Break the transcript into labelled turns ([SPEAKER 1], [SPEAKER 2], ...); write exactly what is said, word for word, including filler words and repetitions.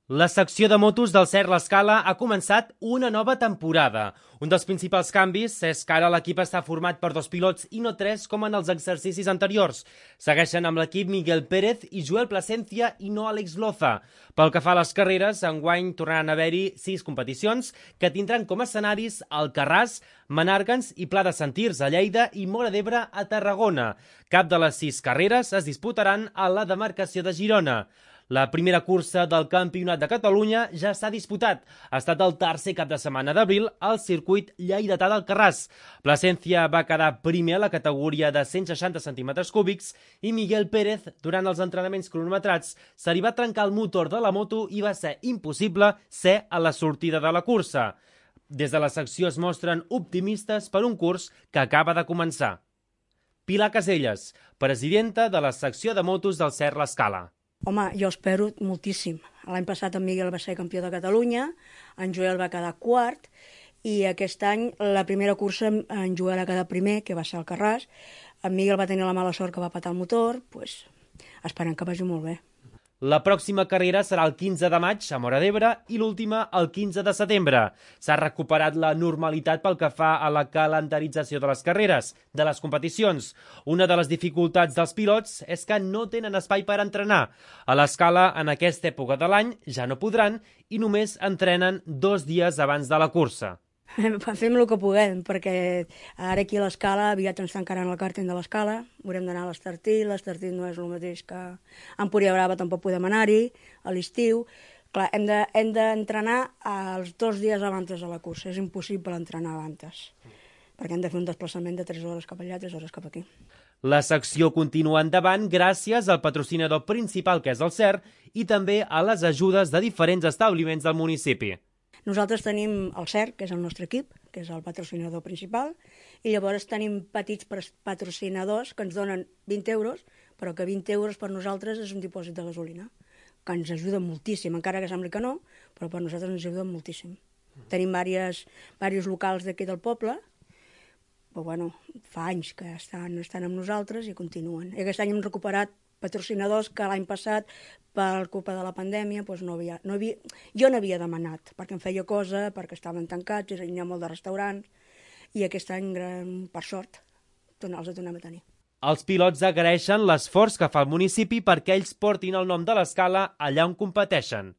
[SPEAKER 1] La secció de motos del Cert l'Escala ha començat una nova temporada. Un dels principals canvis és que ara l'equip està format per dos pilots i no tres com en els exercicis anteriors. Segueixen amb l'equip Miguel Pérez i Joel Plasencia i no Àlex Loza. Pel que fa a les carreres, enguany tornaran a haver-hi sis competicions que tindran com a escenaris Alcarràs, Menàrguens i Pla de Sentirs a Lleida i Móra d'Ebre a Tarragona. Cap de les sis carreres es disputaran a la demarcació de Girona. La primera cursa del Campionat de Catalunya ja s'ha disputat. Ha estat el tercer cap de setmana d'abril al circuit lleidatà d'Alcarràs. Plasencia va quedar primer a la categoria de cent seixanta centímetres cúbics i Miguel Pérez, durant els entrenaments cronometrats, se li va trencar el motor de la moto i va ser impossible ser a la sortida de la cursa. Des de la secció es mostren optimistes per un curs que acaba de començar. Pilar Caselles, presidenta de la secció de motos del Cert l'Escala.
[SPEAKER 2] Home, jo espero moltíssim. L'any passat en Miguel va ser campió de Catalunya, en Joel va quedar quart, i aquest any, la primera cursa, en Joel va quedar primer, que va ser al Alcarràs. En Miguel va tenir la mala sort que va patar el motor, doncs esperem que vagi molt bé.
[SPEAKER 1] La pròxima carrera serà el quinze de maig a Móra d'Ebre i l'última el quinze de setembre. S'ha recuperat la normalitat pel que fa a la calendarització de les carreres, de les competicions. Una de les dificultats dels pilots és que no tenen espai per entrenar. A l'Escala, en aquesta època de l'any, ja no podran i només entrenen dos dies abans de la cursa.
[SPEAKER 2] Fem el que puguem, perquè ara aquí a l'Escala aviat ens tancaran el càrting de l'Escala, haurem d'anar a l'Estartit, l'Estartit no és el mateix que a Empúria Brava, tampoc podem anar-hi, a l'estiu. Clar, hem de, hem d'entrenar els dos dies abans de la cursa, és impossible entrenar abans, perquè hem de fer un desplaçament de tres hores cap allà, tres hores cap aquí.
[SPEAKER 1] La secció continua endavant gràcies al patrocinador principal, que és el Cert, i també a les ajudes de diferents establiments del municipi.
[SPEAKER 2] Nosaltres tenim el Cert, que és el nostre equip, que és el patrocinador principal, i llavors tenim petits patrocinadors que ens donen vint euros, però que vint euros per nosaltres és un dipòsit de gasolina, que ens ajuda moltíssim, encara que sembli que no, però per nosaltres ens ajuda moltíssim. Tenim diversos locals d'aquí del poble, però bueno, fa anys que estan, estan amb nosaltres i continuen. I aquest any hem recuperat patrocinadors que l'any passat, per culpa de la pandèmia, doncs no havia, no havia, jo no havia demanat, perquè em feia cosa, perquè estaven tancats, hi ha molt de restaurants, i aquest any, per sort, els tornem a tenir.
[SPEAKER 1] Els pilots agraeixen l'esforç que fa el municipi perquè ells portin el nom de l'Escala allà on competeixen.